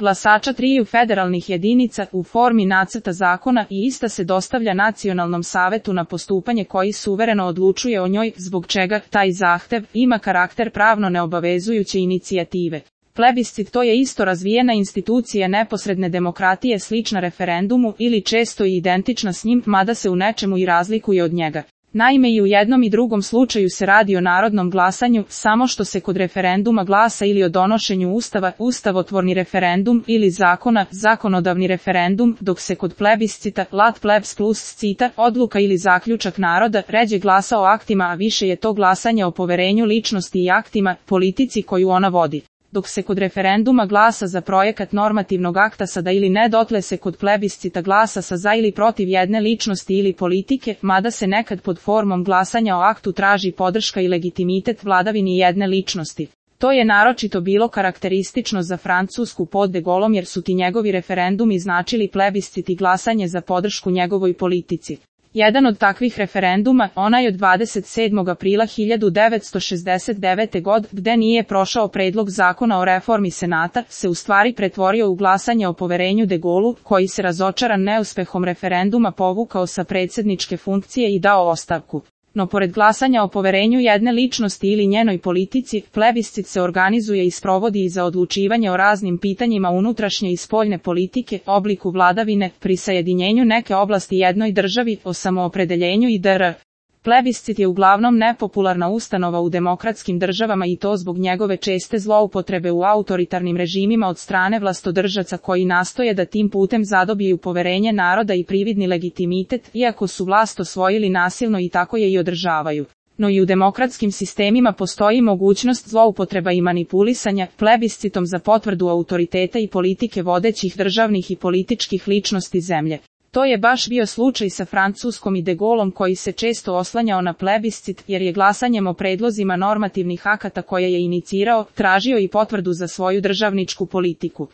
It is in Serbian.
glasača triju federalnih jedinica u formi nacrta zakona i ista se dostavlja Nacionalnom savetu na postupanje koji suvereno odlučuje o njoj, zbog čega taj zahtev ima karakter pravno neobavezujuće inicijative. Plebiscit to je isto razvijena institucija neposredne demokratije slična referendumu ili često i identična s njim, mada se u nečemu i razlikuje od njega. Naime, i u jednom i drugom slučaju se radi o narodnom glasanju, samo što se kod referenduma glasa ili o donošenju ustava, ustavotvorni referendum, ili zakona, zakonodavni referendum, dok se kod plebiscita, lat plebs plus scita, odluka ili zaključak naroda, ređe glasa o aktima, a više je to glasanje o poverenju ličnosti i aktima, politici koju ona vodi. Dok se kod referenduma glasa za projekat normativnog akta sa da ili ne, dotle se kod plebiscita glasa sa za ili protiv jedne ličnosti ili politike, mada se nekad pod formom glasanja o aktu traži podrška i legitimitet vladavini jedne ličnosti. To je naročito bilo karakteristično za Francusku pod de Gaulom jer su ti njegovi referendumi značili plebiscit i glasanje za podršku njegovoj politici. Jedan od takvih referenduma, onaj od 27. aprila 1969. godine, gde nije prošao predlog zakona o reformi Senata, se u stvari pretvorio u glasanje o poverenju de Gaullu, koji se razočaran neuspehom referenduma povukao sa predsjedničke funkcije i dao ostavku. No pored glasanja o poverenju jedne ličnosti ili njenoj politici, plebiscit se organizuje i sprovodi i za odlučivanje o raznim pitanjima unutrašnje i spoljne politike, obliku vladavine, prisajedinjenju neke oblasti jednoj državi, o samoopredeljenju i dr. Plebiscit je uglavnom nepopularna ustanova u demokratskim državama i to zbog njegove česte zloupotrebe u autoritarnim režimima od strane vlastodržaca koji nastoje da tim putem zadobiju poverenje naroda i prividni legitimitet, iako su vlast osvojili nasilno i tako je i održavaju. No i u demokratskim sistemima postoji mogućnost zloupotreba i manipulisanja plebiscitom za potvrdu autoriteta i politike vodećih državnih i političkih ličnosti zemlje. To je baš bio slučaj sa Francuskom i de Gaulom koji se često oslanjao na plebiscit jer je glasanjem o predlozima normativnih akata koje je inicirao, tražio i potvrdu za svoju državničku politiku.